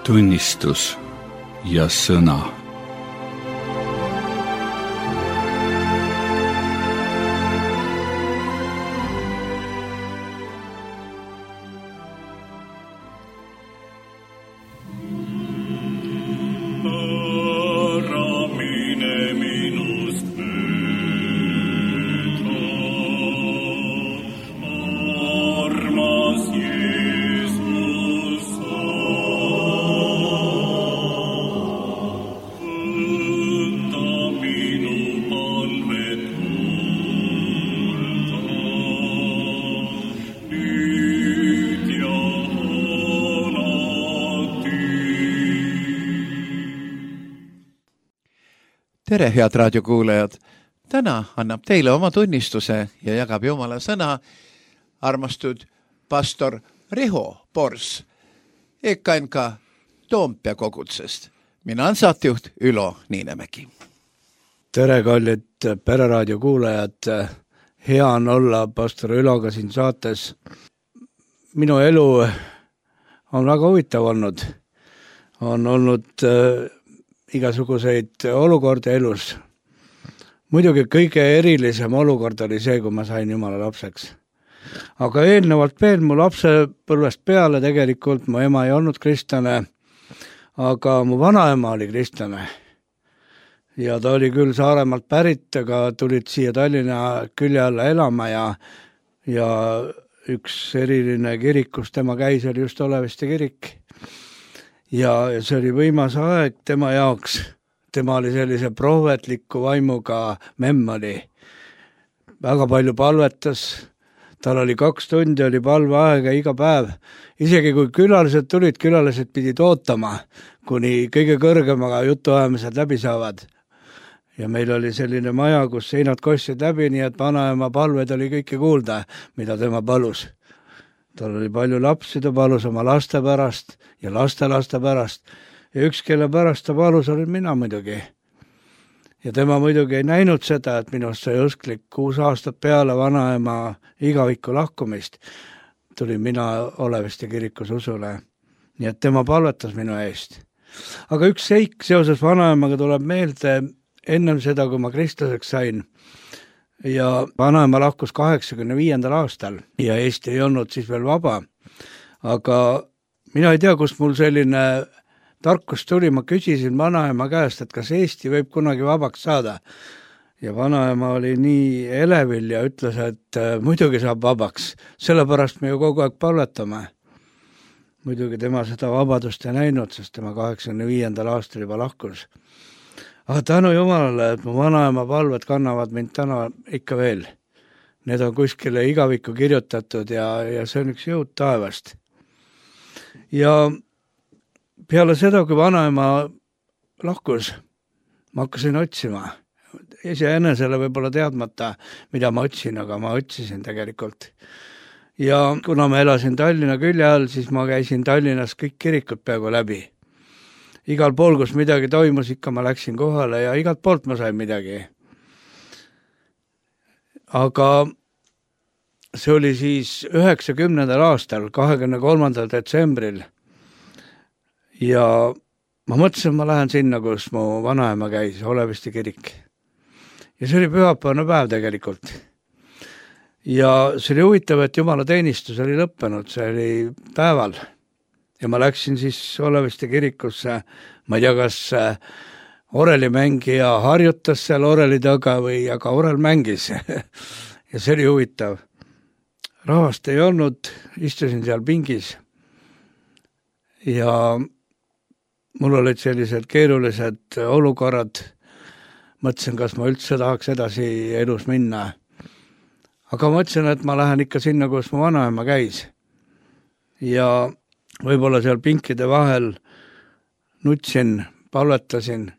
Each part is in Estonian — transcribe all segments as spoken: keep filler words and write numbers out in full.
tunnistus ja sõna. Tere, head raadiokuulajad! Täna annab teile oma tunnistuse ja jagab Jumala sõna armastud pastor Riho Pors E K N K Toompea kogutsest. Mina on saatejuht Ülo Niinemägi. Tere, kallid pereraadio kuulajad! Hea on olla pastor Üloga siin saates. Minu elu on väga huvitav olnud. On olnud äh, igasuguseid olukorda elus. Muidugi kõige erilisem olukord oli see, kui ma sain Jumala lapseks. Aga eelnevalt veel mu lapsepõlvest peale tegelikult mu ema ei olnud kristlane, aga mu vanaema oli kristlane. Ja ta oli küll Saaremaalt pärit, aga tulid siia Tallinna külje alla elama ja, ja üks eriline kirik, kus tema käis, oli just Oleviste kirik. Ja see oli võimas aeg tema jaoks. Tema oli sellise prohvetliku vaimuga memm oli. Väga palju palvetas. Tal oli kaks tundi, oli palveaega iga päev. Isegi kui külalised tulid, külalised pidid ootama, kuni kõige kõrgemaga jutuajamised läbi saavad. Ja meil oli selline maja, kus seinad kostsid läbi, nii et vanaema palved oli kõike kuulda, mida tema palus. Tal oli palju lapsi, ta palus oma laste pärast ja laste laste pärast. Ja üks, kelle pärast ta palus, olin mina muidugi. Ja tema muidugi ei näinud seda, et minust sai usklik kuus aastat peale vanaema igaviku lahkumist. Tulin mina Oleviste kirikus usule. Nii et tema palvetas minu eest. Aga üks seik seoses vanaemaga tuleb meelde ennem seda, kui ma kristlaseks sain. Ja vanaema lahkus kaheksakümne viiendal aastal ja Eesti ei olnud siis veel vaba. Aga mina ei tea, kust mul selline tarkus tuli. Ma küsisin vanaema käest, et kas Eesti võib kunagi vabaks saada. Ja vanaema oli nii elevil ja ütles, et muidugi saab vabaks. Sellepärast me ju kogu aeg palvetame. Muidugi tema seda vabadust ei näinud, sest tema kaheksakümne viiendal aastal juba lahkus. Aga tänu Jumalale, et mu vanaema palved kannavad mind täna ikka veel. Need on kuskile igavikku kirjutatud ja, ja see on üks jõud taevast. Ja peale seda, kui vanaema lahkus, ma hakkasin otsima. Iseenesele võib-olla teadmata, mida ma otsin, aga ma otsisin tegelikult. Ja kuna ma elasin Tallinna külje all, siis ma käisin Tallinnas kõik kirikud peaaegu läbi. Igal pool, kus midagi toimus, ikka ma läksin kohale ja igalt poolt ma sain midagi. Aga see oli siis üheksakümnendal aastal, kahekümne kolmandal detsembril. Ja ma mõtlesin, ma lähen sinna, kus mu vanaema käis, Oleviste kirik. Ja see oli pühapäevane päev tegelikult. Ja see oli huvitav, et Jumala teenistus oli lõppenud, see oli päeval. Ja ma läksin siis Oleviste kirikusse, ma ei tea, kas orelimängija harjutas seal oreli taga või aga orel mängis. Ja see oli huvitav. Rahvast ei olnud, istusin seal pingis. Ja mul olid sellised keerulised olukorrad. Mõtlesin, kas ma üldse tahaks edasi elus minna. Aga mõtlesin, et ma lähen ikka sinna, kus mu vanaema käis. Ja võib-olla seal pinkide vahel nutsin, palvetasin,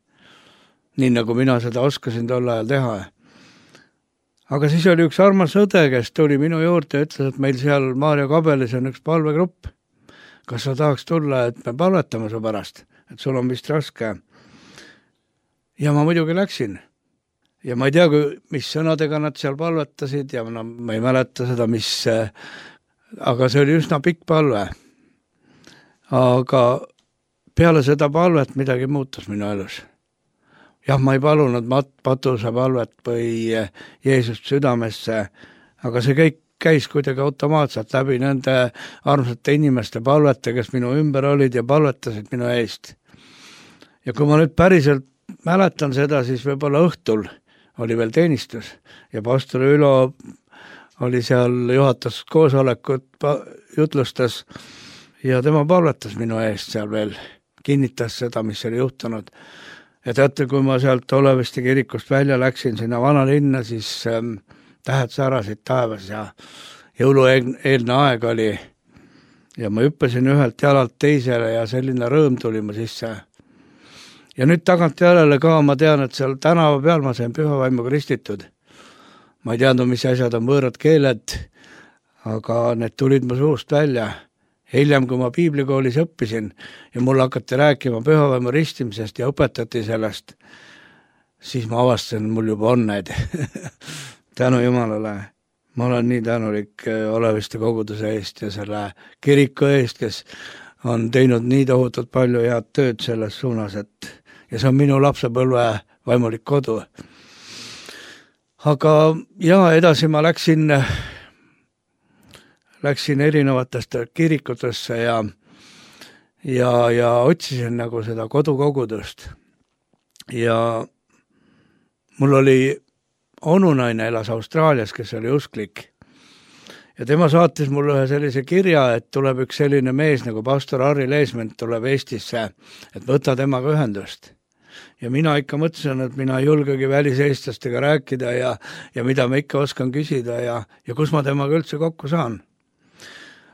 nii nagu mina seda oskasin tol ajal teha. Aga siis oli üks armas õde, kes tuli minu juurde ja ütles, et meil seal Maarja Kabelis on üks palvegrupp. Kas sa tahaks tulla, et me palvetame su pärast, et sul on vist raske. Ja ma muidugi läksin. Ja ma ei tea, mis sõnadega nad seal palvetasid ja ma, ma ei mäleta seda, mis, aga see oli üsna pikk palve. Aga peale seda palvet midagi muutus minu elus. Jah, ma ei palunud mat-, patuse palvet või Jeesust südamesse, aga see kõik käis kuidagi automaatselt läbi nende armsate inimeste palvete, kes minu ümber olid ja palvetasid minu eest. Ja kui ma nüüd päriselt mäletan seda, siis võib-olla õhtul oli veel teenistus ja pastor Ülo oli seal juhatas koosolekut, jutlustas ja tema palvetas minu eest seal veel, kinnitas seda, mis oli juhtunud. Ja teate, kui ma sealt Oleviste kirikust välja läksin sinna vanalinna, siis ähm, tähed särasid taevas ja jõulueelne aeg oli ja ma hüppasin ühelt jalalt teisele ja selline rõõm tuli ma sisse. Ja nüüd tagant järele ka ma tean, et seal tänava peal ma sain püha vaimu kristitud. Ma ei teadnud, mis asjad on võõrad keeled, aga need tulid mu suust välja. Hiljem, kui ma piiblikoolis õppisin ja mulle hakati rääkima pühavaimu ristimisest ja õpetati sellest, siis ma avastasin, mul juba on need. Tänu Jumalale. Ma olen nii tänulik Oleviste koguduse eest ja selle kiriku eest, kes on teinud nii tohutult palju head tööd selles suunas, et ja see on minu lapsepõlve vaimulik kodu. Aga ja edasi ma läksin läksin erinevatesse kirikutesse ja, ja, ja otsisin nagu seda kodukogudust. Ja mul oli onunaine elas Austraalias, kes oli usklik. Ja tema saatis mulle ühe sellise kirja, et tuleb üks selline mees nagu pastor Harri Leesment tuleb Eestisse, et võta temaga ühendust. Ja mina ikka mõtlesin, et mina ei julgegi väliseestlastega rääkida ja, ja mida ma ikka oskan küsida ja, ja kus ma temaga üldse kokku saan.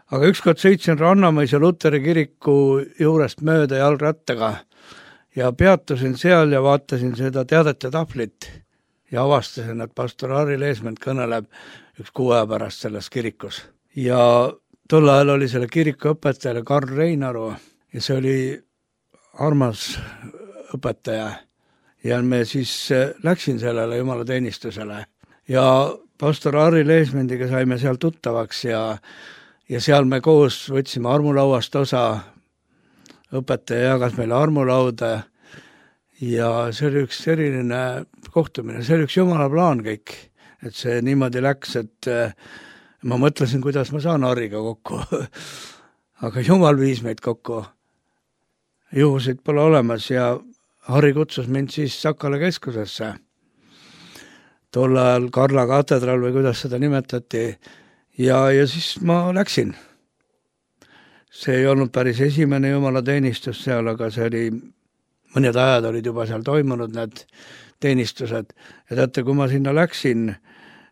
Aga ükskord sõitsin Rannamõisa Luteri kiriku juurest mööda jalgrattaga ja peatusin seal ja vaatasin seda teadete tahvlit ja avastasin, et pastor Harri Leesment kõneleb üks kuu aja pärast selles kirikus. Ja tol ajal oli selle kiriku õpetajale Karl Reinaru ja see oli armas õpetaja ja me siis läksin sellele jumala teenistusele ja pastor Harri Leesmendiga saime seal tuttavaks ja Ja seal me koos võtsime armulauast osa, õpetaja jagas meile armulauda ja see oli üks eriline kohtumine, see oli üks jumala plaan kõik, et see niimoodi läks, et ma mõtlesin, kuidas ma saan Harriga kokku, aga jumal viis meid kokku, juhusid pole olemas ja Harri kutsus mind siis Sakala keskusesse, tol ajal Karla katedral või kuidas seda nimetati. Ja, ja siis ma läksin. See ei olnud päris esimene jumala teenistus seal, aga see oli, mõned ajad olid juba seal toimunud need teenistused. Ja teate, kui ma sinna läksin,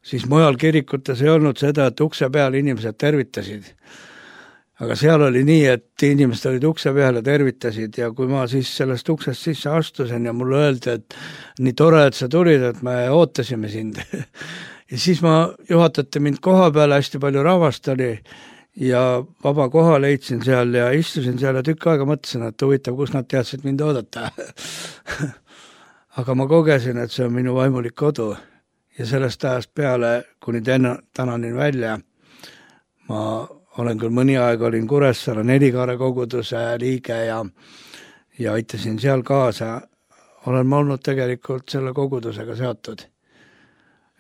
siis mujal kirikutes ei olnud seda, et ukse peal inimesed tervitasid. Aga seal oli nii, et inimesed olid ukse peal ja tervitasid ja kui ma siis sellest uksest sisse astusin ja mulle öeldi, et nii tore, et sa tulid, et me ootasime sind. Ja siis ma juhatati mind koha peale, hästi palju rahvast oli ja vaba koha leidsin seal ja istusin seal ja tükk aega mõtlesin, et huvitav, kus nad teadsid mind oodata. Aga ma kogesin, et see on minu vaimulik kodu ja sellest ajast peale, kuni täna, tänanin välja, ma olen küll mõni aeg olin Kuressaare Nelikaare koguduse liige ja, ja aitasin seal kaasa. Olen ma olnud tegelikult selle kogudusega seotud.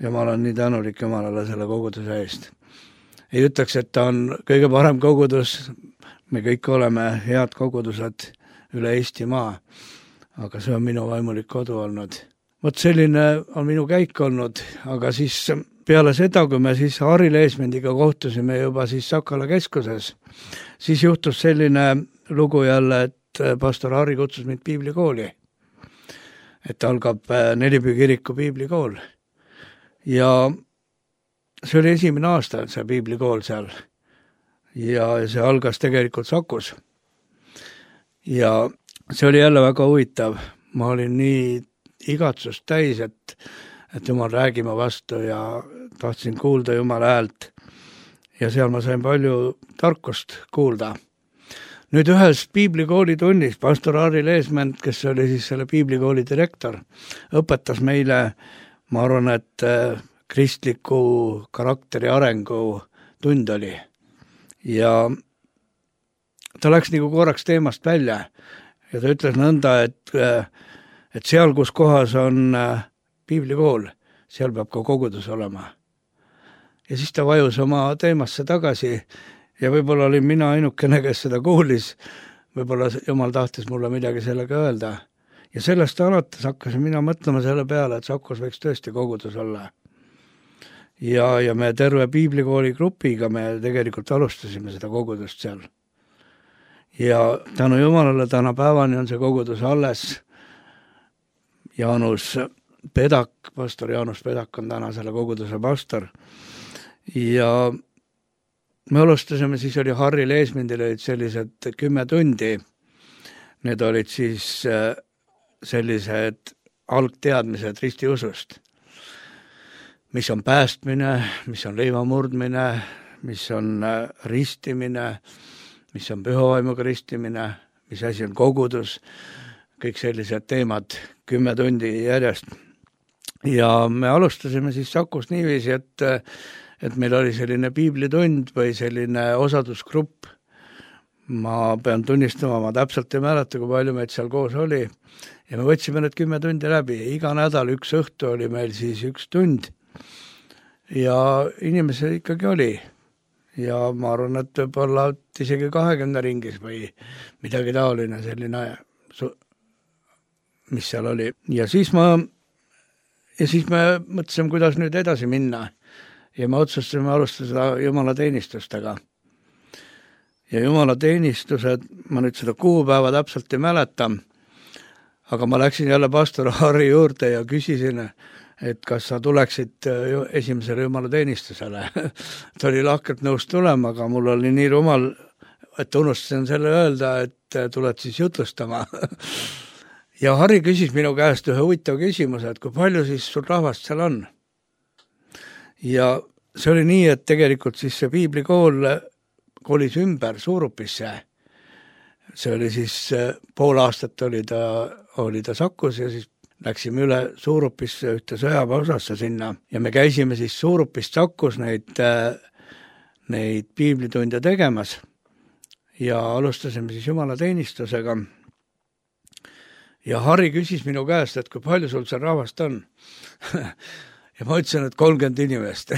Ja ma olen nii tänulik Jumalale selle koguduse eest. Ei ütleks, et ta on kõige parem kogudus. Me kõik oleme head kogudused üle Eestimaa, aga see on minu vaimulik kodu olnud. Vot selline on minu käik olnud, aga siis peale seda, kui me siis Harri Leesmendiga kohtusime juba siis Sakala keskuses, siis juhtus selline lugu jälle, et pastor Harri kutsus mind piiblikooli. Et algab Nelipüü kiriku piiblikool. Ja see oli esimene aasta, see piiblikool seal. Ja see algas tegelikult Sakus. Ja see oli jälle väga huvitav. Ma olin nii igatsust täis, et et Jumal räägima vastu ja tahtsin kuulda Jumala häält. Ja seal ma sain palju tarkust kuulda. Nüüd ühes piiblikooli tunnis pastor Harri Leesment, kes oli siis selle piiblikooli direktor, õpetas meile, ma arvan, et kristliku karakteri arengu tund oli. Ja ta läks nagu korraks teemast välja ja ta ütles nõnda, et, et seal, kus kohas on piiblikool, seal peab ka kogudus olema. Ja siis ta vajus oma teemasse tagasi ja võib-olla olin mina ainukene, kes seda kuulis, võib-olla Jumal tahtis mulle midagi sellega öelda. Ja sellest alates hakkasin mina mõtlema selle peale, et Sakos võiks tõesti kogudus olla. Ja, ja me terve piiblikooli grupiga me tegelikult alustasime seda kogudust seal. Ja tänu Jumalale täna päevani on see kogudus alles. Jaanus Pedak, pastor Jaanus Pedak on täna selle koguduse pastor. Ja me alustasime, siis oli Harri Leesmindil olid sellised kümme tundi. Need olid siis sellised algteadmised ristiusust. Mis on päästmine, mis on leivamurdmine, mis on ristimine, mis on pühavaimuga ristimine, mis asi on kogudus, kõik sellised teemad kümme tundi järjest. Ja me alustasime siis Sakos niiviisi, et et meil oli selline piiblitund või selline osadusgrupp. Ma pean tunnistama, ma täpselt ei mäleta, kui palju meid seal koos oli. Ja me võtsime need kümme tundi läbi. Iga nädal üks õhtu oli meil siis üks tund. Ja inimesi ikkagi oli. Ja ma arvan, et võib-olla isegi kahekümne ringis või midagi taoline selline, mis seal oli. Ja siis, ma, ja siis me mõtlesime, kuidas nüüd edasi minna. Ja me otsustasime alustada Jumala teenistustega. Ja Jumala teenistused, ma nüüd seda kuupäeva täpselt ei mäleta, aga ma läksin jälle pastor Harri juurde ja küsisin, et kas sa tuleksid esimesele Jumala teenistusele. Ta oli lahkelt nõus tulema, aga mul oli nii rumal, et unustasin selle öelda, et tuled siis jutlustama. Ja Harri küsis minu käest ühe huvitav küsimuse, et kui palju siis sul rahvast seal on? Ja see oli nii, et tegelikult siis see piiblikool kolis ümber Suurupisse. See oli siis pool aastat oli ta, oli ta Sakos ja siis läksime üle Suurupisse ühte sõjaväeosasse sinna. Ja me käisime siis Suurupist Sakos neid, neid piiblitunde tegemas ja alustasime siis Jumala teenistusega. Ja Harri küsis minu käest, et kui palju sul seal rahvast on. Ja ma ütlesin, et kolmkümmend inimest.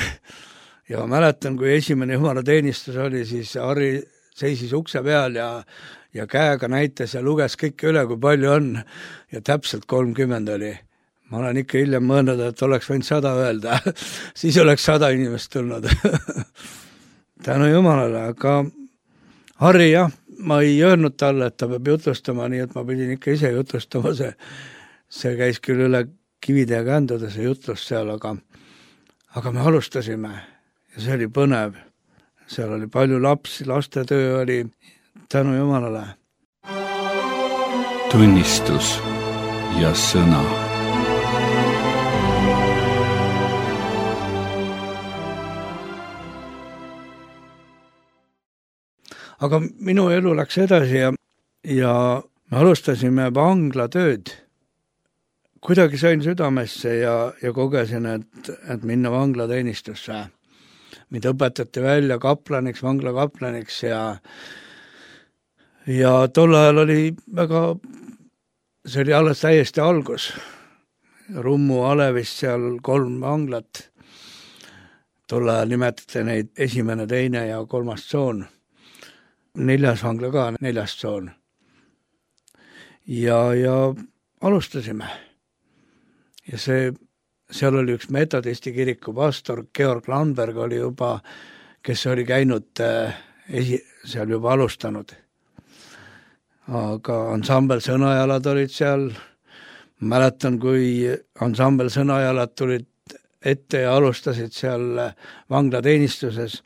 Ja ma mäletan, kui esimene Jumala teenistus oli, siis Harri seisis ukse peal ja, ja käega näitas ja luges kõik üle, kui palju on. Ja täpselt kolmkümmend oli. Ma olen ikka hiljem mõelnud, et oleks võinud sada öelda. Siis oleks sada inimest tulnud. Tänu Jumalale, aga Harri jah, ma ei öelnud talle, et ta peab jutlustama, nii et ma pidin ikka ise jutlustama. See, see käis küll üle kivide ja känduda see jutlus seal, aga, aga me alustasime ja see oli põnev. Seal oli palju lapsi, lastetöö oli tänu Jumalale. Tunnistus ja sõna. Aga minu elu läks edasi ja, ja me alustasime vanglatööd. Kuidagi sain südamesse ja, ja kogesin, et, et minna vanglateenistusse. Mind õpetati välja kaplaniks, vanglakaplaniks ja, ja tol ajal oli väga, see oli alles täiesti algus. Rummu Alevist seal kolm vanglat. Tol ajal nimetati neid esimene, teine ja kolmas tsoon. Neljas vangla ka, neljas tsoon. Ja, ja alustasime. Ja see, seal oli üks metodisti kiriku pastor, Georg Landberg oli juba, kes oli käinud esi, seal juba alustanud. Aga ansambel Sõnajalad olid seal. Mäletan, kui ansambel Sõnajalad tulid ette ja alustasid seal vanglateenistuses.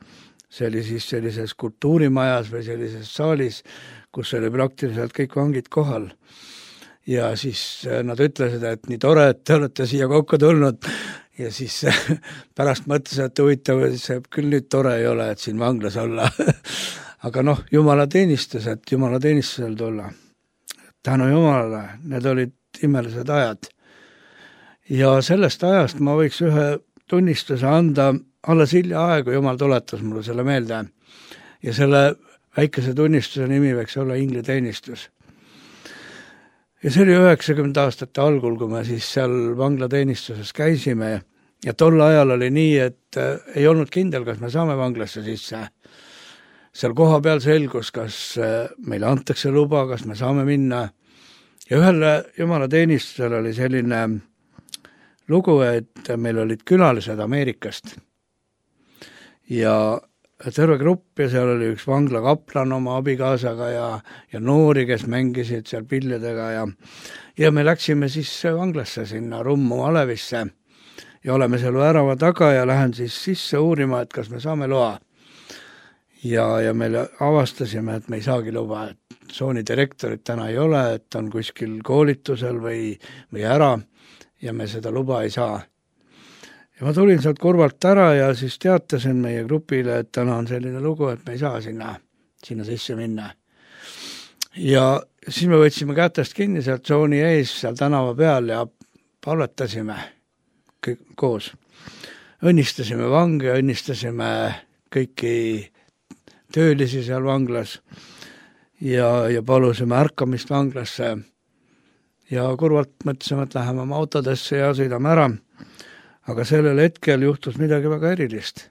See oli siis sellises kultuurimajas või sellises saalis, kus oli praktiliselt kõik vangid kohal. Ja siis nad ütlesid, et nii tore, et te olete siia kokku tulnud. Ja siis pärast mõtlesin, et huvitav, see küll nüüd tore ei ole, et siin vanglas olla. Aga noh, Jumala teenistus, et Jumala teenistusel tulla. Tänu Jumalale, need olid imelised ajad. Ja sellest ajast ma võiks ühe tunnistuse anda alles hilja aegu, Jumal tuletas mulle selle meelde. Ja selle väikese tunnistuse nimi võiks olla ingliteenistus. ja see oli üheksakümnenda aastate algul, kui me siis seal vanglateenistuses käisime ja tol ajal oli nii, et ei olnud kindel, kas me saame vanglasse sisse. Seal koha peal selgus, kas meile antakse luba, kas me saame minna. Ja ühel jumala teenistusel oli selline lugu, et meil olid külalised Ameerikast. Ja terve grupp ja seal oli üks vanglakaplan oma abikaasaga ja, ja noori, kes mängisid seal pillidega ja, ja me läksime siis vanglasse sinna Rummu Alevisse ja oleme seal värava taga ja lähen siis sisse uurima, et kas me saame loa. Ja, ja me avastasime, et me ei saagi luba, et tsooni direktorit täna ei ole, et on kuskil koolitusel või, või ära ja me seda luba ei saa. Ja ma tulin sealt kurvalt ära ja siis teatasin meie grupile, et täna on selline lugu, et me ei saa sinna, sinna sisse minna. Ja siis me võtsime kätest kinni sealt tsooni ees, seal tänava peal ja palvetasime kõik koos. Õnnistasime vange, õnnistasime kõiki töölisi seal vanglas ja, ja palusime ärkamist vanglasse ja kurvalt mõtlesime, et läheme oma autodesse ja sõidame ära. Aga sellel hetkel juhtus midagi väga erilist.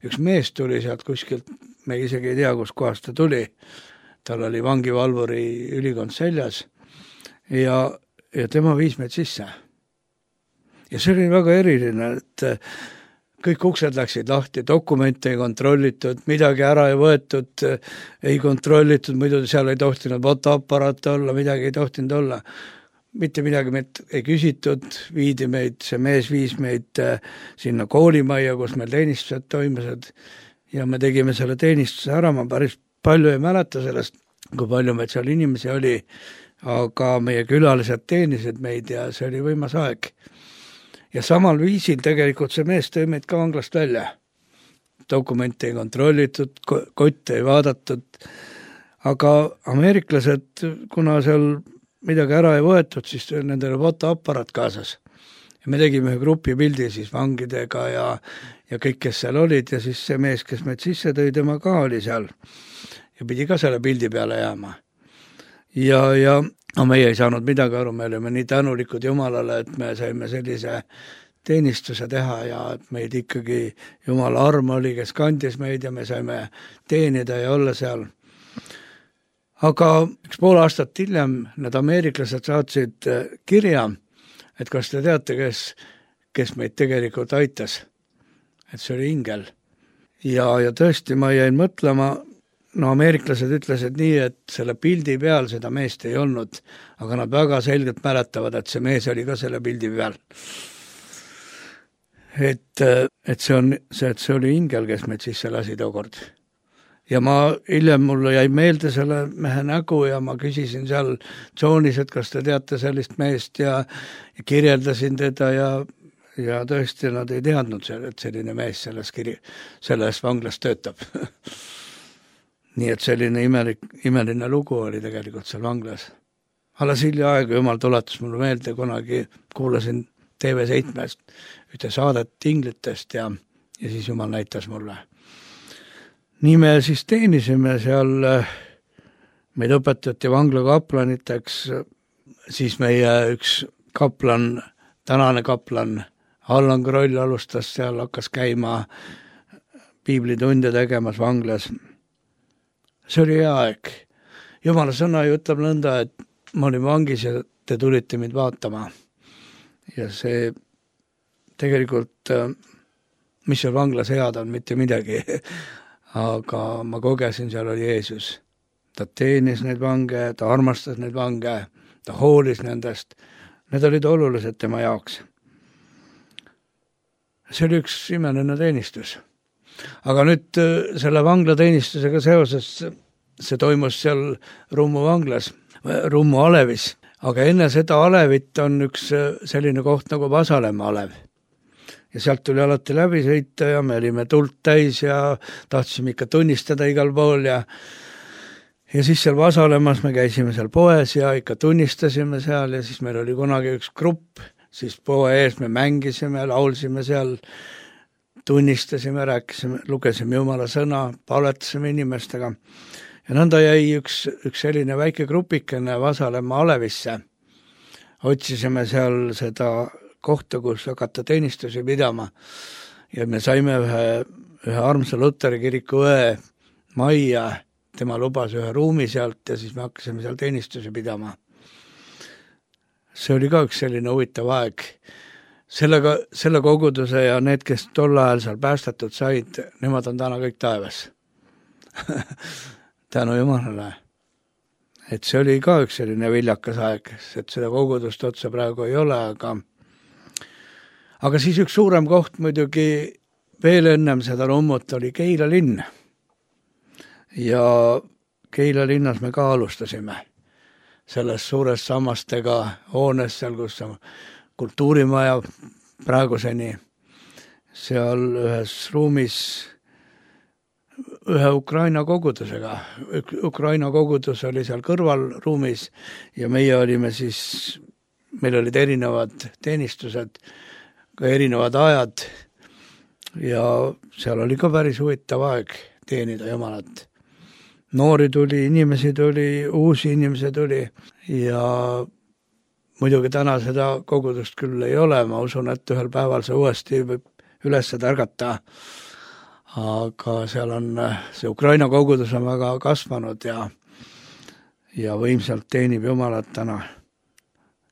Üks mees tuli sealt kuskilt, me isegi ei tea, kus kohast ta tuli. Tal oli vangivalvuri ülikond seljas ja, ja tema viis meid sisse. Ja see oli väga eriline, et kõik uksed läksid lahti, dokumente ei kontrollitud, midagi ära ei võetud, ei kontrollitud, muidu seal ei tohtinud fotoaparaate olla, midagi ei tohtinud olla. Mitte midagi meid ei küsitud, viidi meid, see mees viis meid sinna koolimajja, kus meil teenistused toimusid ja me tegime selle teenistuse ära, ma päris palju ei mäleta sellest, kui palju meid seal inimesi oli, aga meie külalised teenisid meid ja see oli võimas aeg. Ja samal viisil tegelikult see mees tõi meid ka vanglast välja. Dokumente ei kontrollitud, kotte ei vaadatud, aga ameeriklased, kuna seal midagi ära ei võetud, siis nendele fotoapparat kaasas. Ja me tegime ühe grupi pildi siis vangidega ja, ja kõik, kes seal olid ja siis see mees, kes meid sisse tõi, tema ka oli seal ja pidi ka selle pildi peale jääma. Ja, ja no meie ei saanud midagi aru, me olime nii tänulikud Jumalale, et me saime sellise teenistuse teha ja et meid ikkagi Jumala arm oli, kes kandis meid ja me saime teenida ja olla seal. Aga üks pool aastat hiljem need ameeriklased saatsid kirja, et kas te teate, kes, kes meid tegelikult aitas. Et see oli ingel. Ja, ja tõesti ma jäin mõtlema, no ameeriklased ütlesid nii, et selle pildi peal seda meest ei olnud, aga nad väga selgelt mäletavad, et see mees oli ka selle pildi peal. Et, et see on, see, et see oli ingel, kes meid sisse lasi tookord. Ja ma hiljem mulle jäi meelde selle mehe nägu ja ma küsisin seal tsoonis, et kas te teate sellist meest ja, ja kirjeldasin teda ja, ja tõesti nad ei teadnud, et selline mees selles, kiri, selles vanglas töötab. Nii et selline imelik, imeline lugu oli tegelikult seal vanglas. Alles hilja aega Jumal tuletas mulle meelde, kunagi kuulasin T V seitmest ühte saadet inglitest ja, ja siis Jumal näitas mulle. Nii me siis teenisime seal, meid õpetati vangla kaplaniteks, siis meie üks kaplan, tänane kaplan, Allan Kroll alustas seal, hakkas käima piiblitunde tegemas vanglas. See oli hea aeg. Jumala sõna ju ütleb nõnda, et ma olin vangis ja te tulite mind vaatama. Ja see tegelikult, mis seal vanglas head on, mitte midagi. Aga ma kogesin, seal oli Jeesus. Ta teenis neid vange, ta armastas neid vange, ta hoolis nendest. Need olid olulised tema jaoks. See oli üks imeline teenistus. Aga nüüd selle vanglateenistusega seoses, see toimus seal Rummu vanglas, Rummu Alevis. Aga enne seda Alevit on üks selline koht nagu Vasalemma Alev. Ja sealt tuli alati läbi sõita ja me olime tult täis ja tahtsime ikka tunnistada igal pool. Ja, ja siis seal Vasalemmas me käisime seal poes ja ikka tunnistasime seal ja siis meil oli kunagi üks grupp, siis poe ees me mängisime, laulsime seal, tunnistasime, rääkisime, lugesime Jumala sõna, palvetasime inimestega. Ja nõnda jäi üks, üks selline väike grupikene Vasalemma Alevisse. otsisime seal seda kohta, kus hakata teenistusi pidama ja me saime ühe, ühe armsa Luteri kiriku õe majja, tema lubas ühe ruumi sealt ja siis me hakkasime seal teenistusi pidama. See oli ka üks selline huvitav aeg. Sellega, selle koguduse ja need, kes tol ajal seal päästetud said, nemad on täna kõik taevas. Tänu Jumalale. Et see oli ka üks selline viljakas aeg, et seda kogudust otsa praegu ei ole, aga aga siis üks suurem koht muidugi veel ennem seda rummut oli Keila linn. Ja Keila linnas me ka alustasime selles suures sammastega hoones seal, kus on kultuurimaja praeguseni. Seal ühes ruumis ühe Ukraina kogudusega. Ukraina kogudus oli seal kõrvalruumis ja meie olime siis, meil olid erinevad teenistused, ka erinevad ajad ja seal oli ka päris huvitav aeg teenida Jumalat. Noori tuli, inimesi tuli, uusi inimesi tuli ja muidugi täna seda kogudust küll ei ole, ma usun, et ühel päeval see uuesti võib üles tärgata. Aga seal on, see Ukraina kogudus on väga kasvanud ja, ja võimsalt teenib Jumalat täna.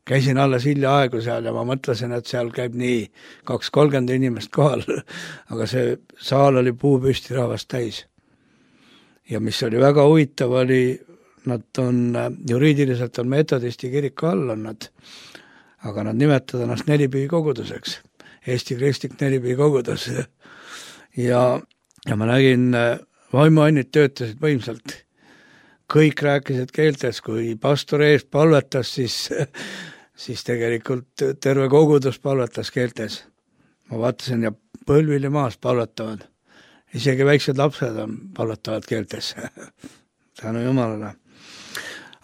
Käisin alles hilja aegu seal ja ma mõtlesin, et seal käib nii kaks kolmkümmend inimest kohal, aga see saal oli puupüsti rahvast täis. Ja mis oli väga huvitav oli, nad on, juriidiliselt on metodisti kiriku all on nad, aga nad nimetavad ennast Nelipühi koguduseks, Eesti kristlik Nelipühi kogudus. Ja, ja ma nägin, vaimuannid töötasid võimsalt. Kõik rääkisid keeltes, kui pastor eest palvetas, siis, siis tegelikult terve kogudus palvetas keeltes. Ma vaatasin ja põlvili maas palvetavad. Isegi väiksed lapsed on palvetavad keeltes. Tänu Jumalale.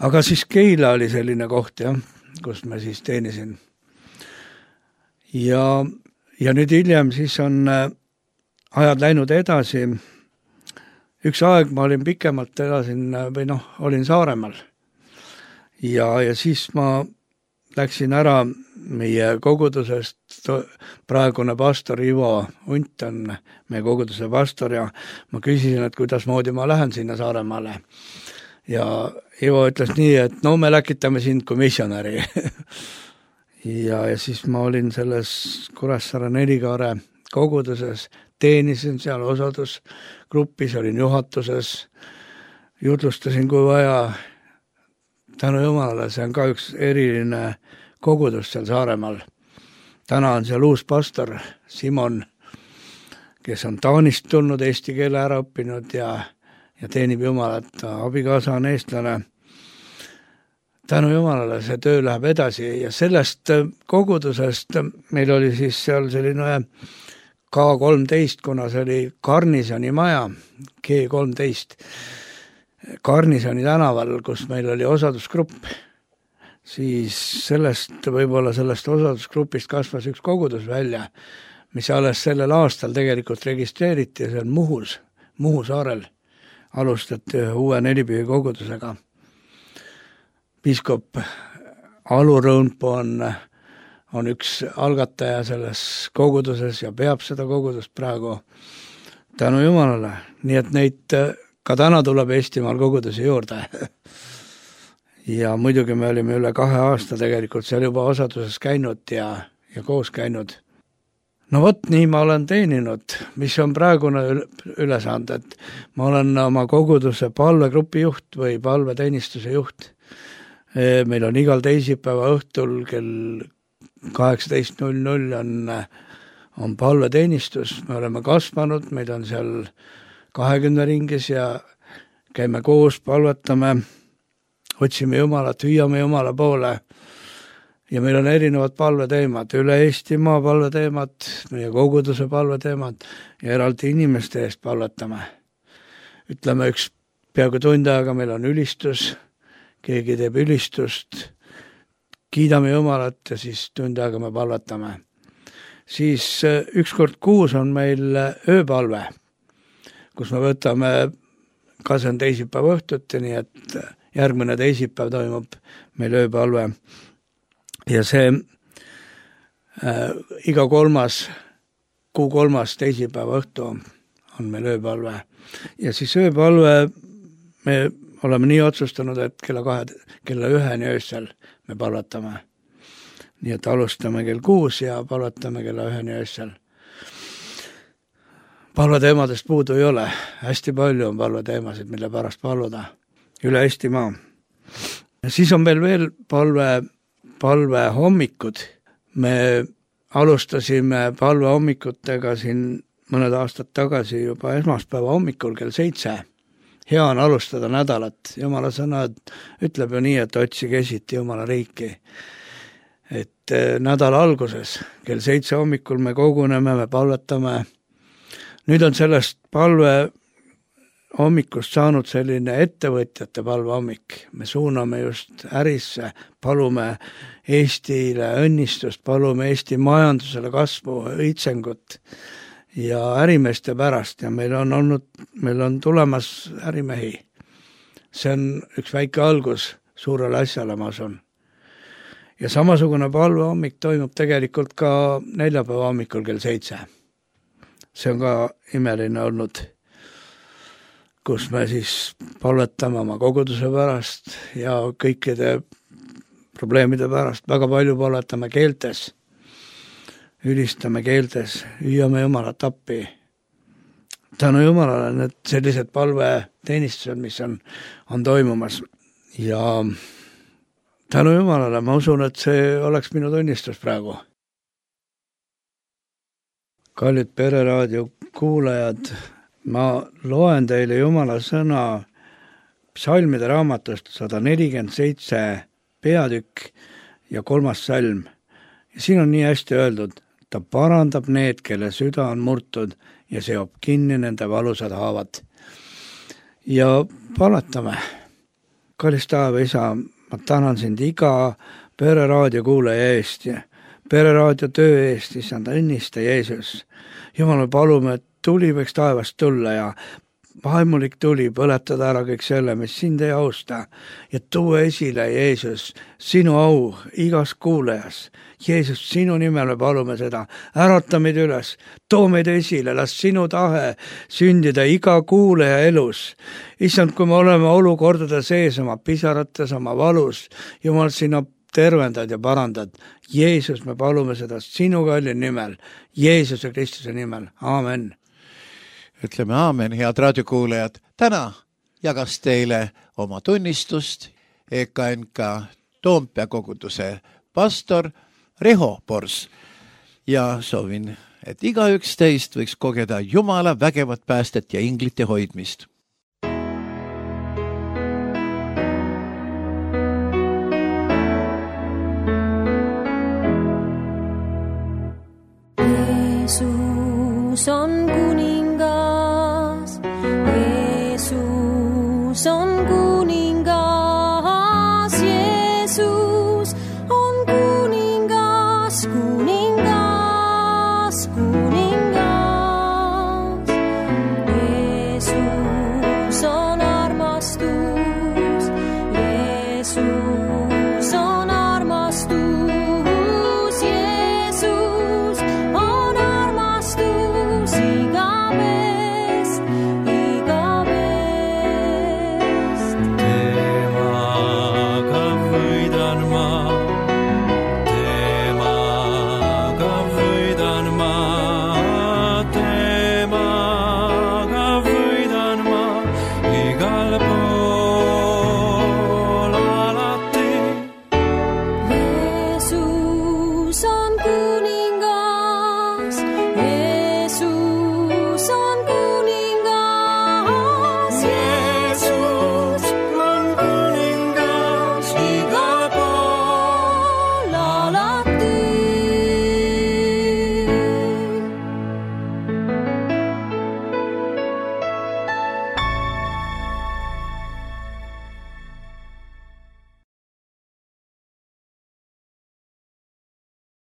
Aga siis Keila oli selline koht, jah, kus me siis teenisin. Ja, ja nüüd hiljem siis on ajad läinud edasi. Üks aeg ma olin pikemalt elasin, või noh, olin Saaremaal. Ja, ja siis ma läksin ära meie kogudusest, praegune pastor Ivo Unt on meie koguduse pastor ja ma küsisin, et kuidas moodi ma lähen sinna Saaremaale. Ja Ivo ütles nii, et no me läkitame sind kui missionäri. ja, ja siis ma olin selles Kuressaare Nelikaare koguduses, teenisin seal osadusgrupis, olin juhatuses, jutlustasin kui vaja. Tänu Jumalale, see on ka üks eriline kogudus seal Saaremaal. Täna on seal uus pastor Simon, kes on Taanist tulnud, eesti keele ära õppinud ja, ja teenib Jumalat. Abikaasa on eestlane. Tänu Jumalale see töö läheb edasi ja sellest kogudusest meil oli siis seal selline K kolmteist, kuna see oli Garnisoni maja, G kolmteist, Garnisoni tänaval, kus meil oli osadusgrupp, siis sellest, võib-olla sellest osadusgrupist kasvas üks kogudus välja, mis alles sellel aastal tegelikult registreeriti ja see on Muhus, Muhu saarel alustati ühe uue Nelipühi kogudusega. Piiskop Alu Rõunpuu on, on üks algataja selles koguduses ja peab seda kogudust praegu. Tänu Jumalale, nii et neid ka täna tuleb Eestimaal kogudusi juurde. Ja muidugi me olime üle kahe aasta tegelikult seal juba osaduses käinud ja, ja koos käinud. No vot, nii ma olen teeninud, mis on praegune ülesand, et ma olen oma koguduse palvegrupi juht või palveteenistuse juht. Meil on igal teisipäeva õhtul kell kaheksateist null null on, on palveteenistus. Me oleme kasvanud, meid on seal kahekümne ringis ja käime koos, palvetame, otsime Jumalat, hüüame Jumala poole ja meil on erinevad palveteemad, üle Eestimaa palveteemad, meie koguduse palveteemad ja eraldi inimeste eest palvetame. Ütleme üks peaaegu tund aega meil on ülistus, keegi teeb ülistust, kiidame Jumalat ja siis tund aega me palvetame. Siis üks kord kuus on meil ööpalve, kus me võtame, ka see on teisipäeva õhtuti, nii et järgmine teisipäev toimub meil ööpalve. ja see äh, iga kolmas, kuu kolmas teisipäeva õhtu on meil ööpalve. Ja siis ööpalve me oleme nii otsustanud, et kella kahe, kella üheni öösel me palvetame. Nii et alustame kell kuus ja palvetame kella üheni öösel. Palveteemadest puudu ei ole. Hästi palju on palveteemasid, mille pärast palvuda. Üle Eestimaa. Ja siis on meil veel palve, palve hommikud. Me alustasime palve hommikutega siin mõned aastad tagasi juba esmaspäeva hommikul kell seitse. Hea on alustada nädalat. Jumala sõna ütleb ju nii, et otsige esiti Jumala riiki. Et nädala alguses kell seitse hommikul me koguneme, me palvetame. Nüüd on sellest palve hommikust saanud selline ettevõtjate palve hommik. Me suuname just ärisse, palume Eestile õnnistust, palume Eesti majandusele kasvu, õitsengut ja ärimeeste pärast ja meil on olnud, meil on tulemas ärimehi. See on üks väike algus suurele asjale, ma asun. Ja samasugune palve hommik toimub tegelikult ka neljapäeva hommikul kell seitse. See on ka imeline olnud, kus me siis palvetame oma koguduse pärast ja kõikide probleemide pärast. Väga palju palvetame keeltes, ülistame keeltes, hüüame Jumalat appi. Tänu Jumalale need sellised palveteenistused, mis on, on toimumas. Ja tänu Jumalale ma usun, et see oleks minu tunnistus praegu. Kallid Pereraadio kuulajad, ma loen teile Jumala sõna psalmide raamatust sada nelikümmend seitse peatükk ja kolmas salm. Ja siin on nii hästi öeldud, ta parandab need, kelle süda on murtud ja seob kinni nende valusad haavad. Ja palvetame. Kallis taeva isa, ma tänan sind iga Pereraadio kuulaja eest ja Pereraadio töö eest, issand, õnnista Jeesus. Jumal, me palume, et tuli võiks taevast tulla ja vaimulik tuli põletada ära kõik selle, mis sind ei austa ja tuua esile, Jeesus, sinu au igas kuulajas. Jeesus, sinu nimel me palume seda. Ärata meid üles, too meid esile, las sinu tahe sündida iga kuulaja elus. Issand, kui me oleme olukordade sees oma pisarates, oma valus, Jumal, sina tervendad ja parandad. Jeesus, me palume seda sinu kalli nimel, Jeesuse Kristuse nimel. Aamen. Ütleme aamen, head raadiokuulajad. Täna jagas teile oma tunnistust E K N K Toompea koguduse pastor Riho Pors. Ja soovin, et igaüks teist võiks kogeda Jumala vägevat päästet ja inglite hoidmist. Jeesus on kuning.